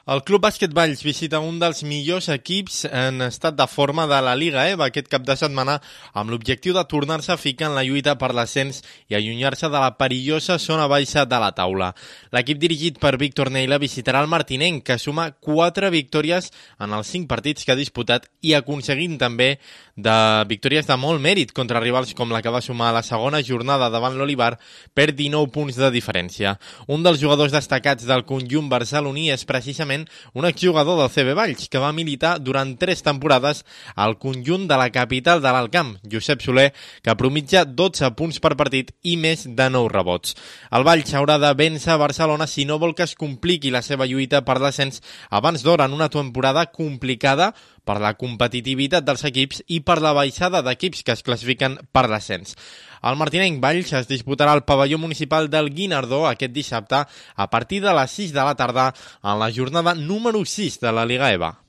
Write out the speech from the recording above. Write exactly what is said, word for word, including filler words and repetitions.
El Club Bàsquet Valls visita un dels millors equips en estat de forma de la Liga E B A aquest cap de setmana amb l'objectiu de tornar-se a ficar en la lluita per l'ascens i allunyar-se de la perillosa zona baixa de la taula. L'equip dirigit per Víctor Neila visitarà el Martinenc, que suma quatre victòries en els cinc partits que ha disputat i aconseguint també de victòries de molt mèrit contra rivals com la que va sumar a la segona jornada davant l'Olivar per dinou punts de diferència. Un dels jugadors destacats del conjunt barceloní és precisament un exjugador del C B Valls que va militar durant tres temporades al conjunt de la capital de l'Alt Camp, Josep Soler, que promitja dotze punts per partit i més de nou rebots. El Valls haurà de vèncer a Barcelona si no vol que es compliqui la seva lluita per l'ascens abans d'hora en una temporada complicada per la competitivitat dels equips i per la baixada d'equips que es classifiquen per l'ascens. El Martinenc Valls es disputarà al pavelló municipal del Guinardó aquest dissabte a partir de les sis de la tarda en la jornada número sis de la Liga E B A.